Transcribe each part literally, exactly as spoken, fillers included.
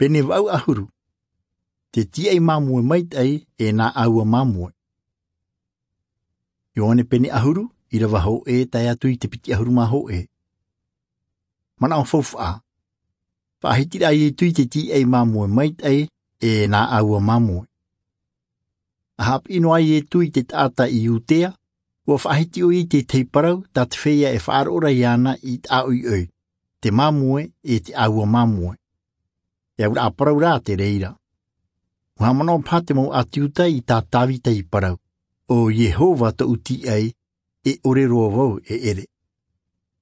Pene vaʻu ʻahuru. Te tīaʻi māmoe maitaʻi e nā ʻāua māmoe. Ioane pene ʻahuru, ʻirava hōʻē tae atu i te piti ʻahuru mā hōʻē. Manaʻo faufaʻa. Faʻahiti rā iesu i te tīaʻi māmoe maitaʻi e nā ʻāua māmoe. A haʻapiʻi noa iesu i te taʻata i iudea, ua faʻahiti ʻoia i te tahi parau tā te feiā e faʻaroʻo ra iāna i taʻoiʻoi, te māmoe e te ʻāua māmoe. E au rā parau rā te reira. Ua haʻamanaʻo paha te mau ʻāti iuda i tā tavita i parau, o iehova tōʻu tīaʻi, e ʻore roa vau e ʻere.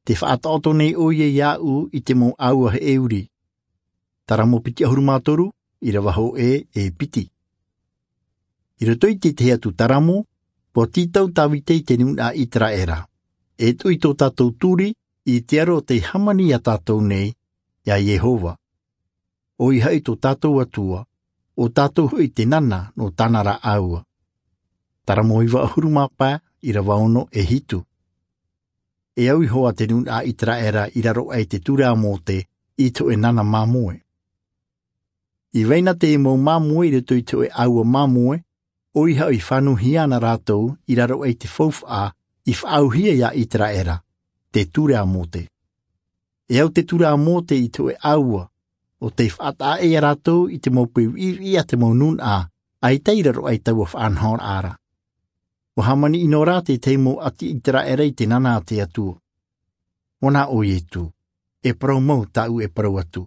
Te faʻataʻoto nei ʻoia iāʻu i te mau ʻāua heʻeuri. Taramo piti ʻahuru mā toru, ʻirava hōʻē e piti. I roto i te tahi atu taramo, ua tītau tavita i te nunaʻa iseraela, e tuʻu i tō tātou turi i te aro o tei hāmani iā tātou nei, iā iehova. ʻOia hoʻi tō tātou atua, o tātou hoʻi te nana nō tāna rā ʻāua. Taramo iva ʻahuru mā pae, ʻirava ono e hitu. E au iho ā te nunaʻa iseraela i raro aʻe i te ture a mose i te hoʻē nana māmoe. I vai na te mau māmoe i roto i te hoʻē ʻāua māmoe, ʻoia hoʻi i fānauhia ana rātou i raro aʻe i te faufaʻa i faʻaauhia iā iseraela, te ture a mose. E au te ture a mose i te hoʻē ʻāua, o tei faʻataʻa iā rātou i te mau peu viʻiviʻi a te mau nunaʻa, ʻaita i raro aʻe i taua faʻanahoraʻa ra. Ua hāmani ʻino rā te tahi mau ʻāti iseraela i te nana a te atua. Ua nā ʻo iesu, e parau mau tāʻu e parau atu,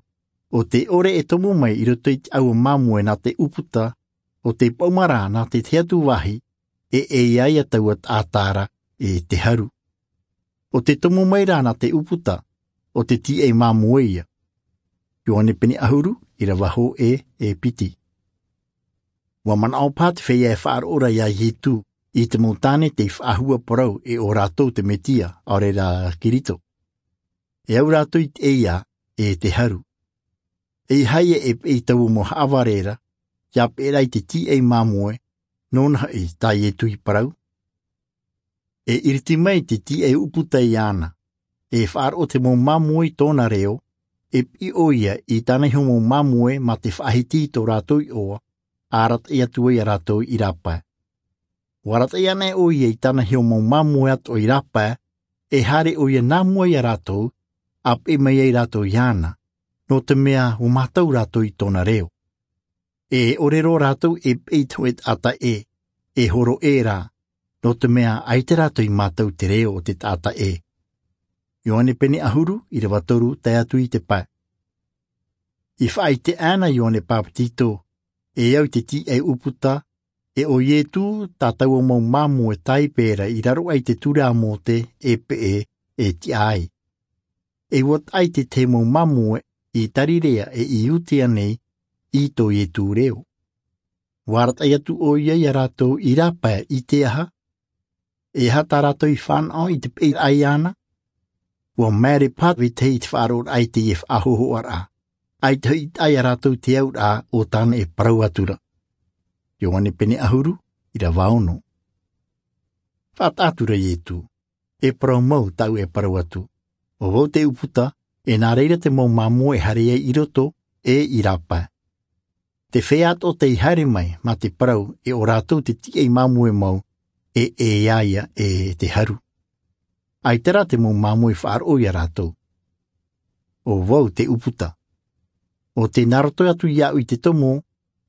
o te ʻore e tomo mai i roto i te ʻāua māmoe nā te ʻūputa, o te paʻuma rā nā te tahi atu vāhi, e ʻē ia taua taʻata ra e te haru. O te tomo mai rā nā te ʻūputa, o te tīaʻi māmoe ia. Ioane pene ʻahuru, ʻirava hōʻē e piti. Ua manaʻo paha te feiā e faʻaroʻo ra iā iesu i te mau tāne tei faʻahua parau e ʻo rātou te mesia, ʻaore rā kirito. E au rātou i te ʻē ia e te haru. E ʻeiaha ia e peʻe i taua mau haʻavare ra, ia peʻe rā i te tīaʻi māmoe, nōna hoʻi tā iesu i parau. E iriti mai te tīaʻi ʻūputa iāna, e faʻaroʻo te mau māmoe i tōna reo, e piʻi ʻoia i tāna iho mau māmoe mā te faʻahiti i tō rātou iʻoa, a arataʻi atu ai iā rātou i rāpae. Ua arataʻi ana ʻoia i tāna iho mau māmoe atoʻa i rāpae, e haere ʻoia nā mua iā rātou, a peʻe mai ai rātou iāna, nō te mea ua mātau rātou i tōna reo. E ʻore roa rātou e peʻe i te hoʻē taʻata ʻē, e horo ʻē rā, nō te mea ʻaita rātou i mātau te reo o te taʻata ʻē. Ioane pene ʻahuru, ʻirava toru tae atu i te pae. I faʻaʻite ana ʻo ioane bapetizo, e au i te tīaʻi ʻūputa, e ʻo iesu, tā taua mau māmoe taipe ra i raro aʻe i te ture a mose e peʻe, e tiʻa ai. E ua taʻa i te tahi mau māmoe i galileia e i iudea nei i tō iesu reo. Ua arataʻi atu ʻoia iā rātou i rāpae i te aha? E aha tā rātou i fānaʻo i te peʻeraʻa iāna? Ua maere paha vetahi i te faʻaroʻoraʻa i teie faʻahōhoʻaraʻa, ʻaita hoʻi i taʻa iā rātou te auraʻa o tāna e parau atu ra. Ioane pene ʻahuru, ʻirava ono. Faʻataʻa atu ra iesu, e parau mau tāʻu e parau atu, ʻo vau te ʻūputa, e nā reira te mau māmoe e haere ai i roto, e i rāpae. Te feiā atoʻa tei haere mai mā te parau e ʻo rātou te tīaʻi māmoe mau, e ʻē ia e te haru. ʻAita rā te mau māmoe i faʻaroʻo iā rātou, ʻo vau te ʻūputa. ʻO tē nā roto atu iāʻu i te tomo,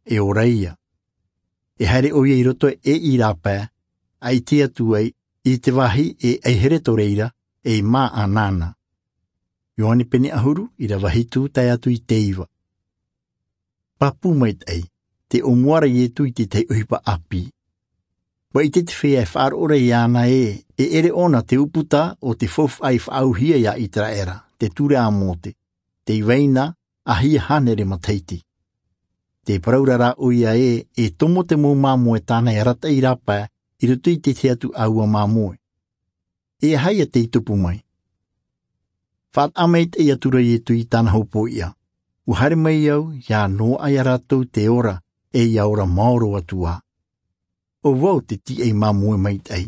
e ora ia. E haere ʻoia i roto e i rāpae, ʻaita atu ai i te vāhi e ʻaihere atu reira, e i mā ʻanana. Ioane pene ʻahuru, ʻirava hitu tae atu i te iva. Pāpū maitaʻi, tē ʻōmua ra iesu i te tahi ʻohipa ʻāpī. Ua ʻite te feiā e faʻaroʻo ra iāna ē, e ʻere ʻōna te ʻūputa o te faufaʻa i faʻaauhia iā iseraela, te ture a mose, tei vai na ʻahia hānere matahiti. Te parau ra rā ʻoia ē, e tomo te mau māmoe tāna e arataʻi i rāpae, i roto i te tahi atu ʻāua māmoe. E aha ia tei tupu mai? Faʻataʻa maitaʻi atu ra iesu i tāna hōpoiʻa, ua haere mai au ia noaʻa iā rātou te ora, e ia ora maoro atu ā. ʻO vau te tīaʻi māmoe maitaʻi.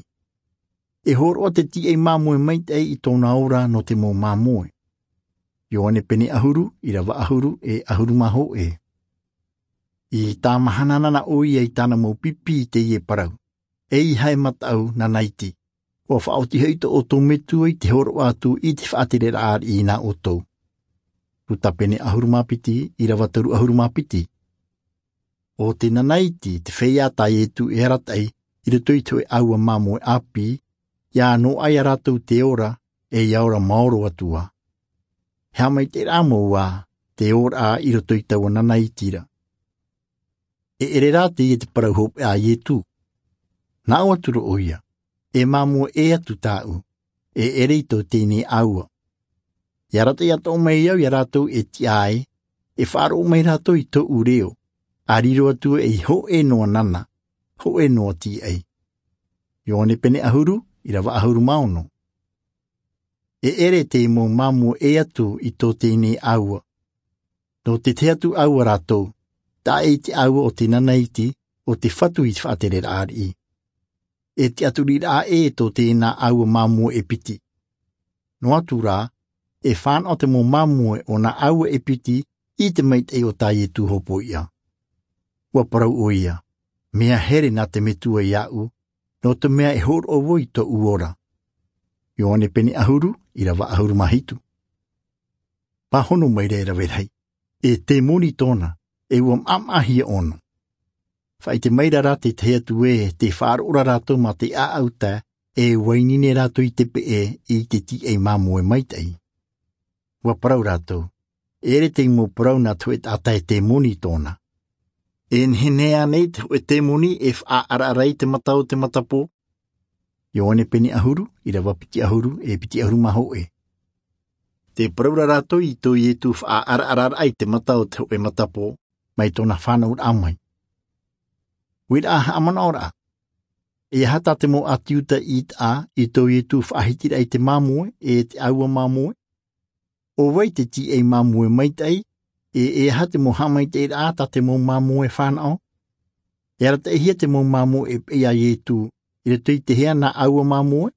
E hōroʻa te tīaʻi māmoe maitaʻi i tōna ora nō te mau māmoe. Ioane pene ʻahuru, ʻirava ʻahuru e ʻahuru mā hōʻē. I tāmahana na ʻoia i tāna mau pipi i teie parau. Eiaha e mataʻu nanaiti. Ua faʻaoti hoʻi tō ʻoutou metua i te hōroʻa atu i te faʻatereraʻa ariʻi nā ʻoutou. Luka pene ʻahuru mā piti, ʻirava toru ʻahuru mā piti. ʻO te nanaiti te feiā tā iesu e arataʻi i roto i te hōʻē ʻāua māmoe ʻāpī. Ia noaʻa iā rātou te ora, e ia ora maoro atu ā. He haʻamaitaʻiraʻa mau ā te ora i roto i taua nanaiti ra. E ʻere rā teie te parau hopeʻa a iesu. Nā ʻō atu ra ʻoia, e māmoe ʻē atu tāʻu, e ʻere i tō teie nei ʻāua. Ia arataʻi atoʻa mai au iā rātou e tiʻa ai, e faʻaroʻo mai rātou i tōʻu reo, a riro atu ē i hōʻē noa nana, hōʻē noa tīaʻi. Ioane pene ʻahuru, ʻirava ʻahuru mā ono. E ʻere te mau māmoe ʻē atu i tō teie nei ʻāua. Nō te tahi atu ʻāua rātou, taʻa ʻē te ʻāua o te nanaiti, ʻo te fatu i te faʻatereraʻa ariʻi. E tiʻaturiraʻa ʻē tō tēnā ʻāua māmoe e piti. Noa atu rā, e fānaʻo te mau māmoe o nā ʻāua e piti i te maitaʻi o tā iesu hopoiʻa. Ua parau ʻoia, mea here nā te metua iāʻu, nō te mea e hōroʻa vau i tōʻu ora. Ioane pene ʻahuru, ʻirava ʻahuru mā hitu. Pāhono mai ra e rave rahi, e temoni tōna, e ua maʻamaʻahia ʻōna. Faʻaʻite mai ra rā te tahi atu ē te faʻaroʻo ra rātou mā te ʻaʻau tae e uaini nei rātou i te peʻe i te tīaʻi māmoe maitaʻi. Ua parau rātou, e ʻere te mau parau nā te hōʻē taʻata e temoni tōna. E nehenehe ānei te hōʻē temoni e faʻaʻaraʻara i te mata o te matapō? Ioane pene ʻahuru, ʻirava piti ʻahuru, e piti ʻahuru mā hōʻē. Te parau ra rātou i tō iesu faʻaʻaraʻara i te mata o te hōʻē matapō, mai tōna fānauraʻa mai. Uiraʻa haʻamanaʻoraʻa. E aha tā te mau ʻāti iuda i taʻa i tō iesu faʻahitiraʻa i te māmoe e te ʻāua māmoe? ʻO vai te tīaʻi māmoe maitaʻi? E e aha te mau haʻamaitaʻiraʻa tā te mau māmoe fānaʻo? E arataʻihia te mau māmoe e peʻe iā iesu i roto i te hea nā ʻāua māmoe?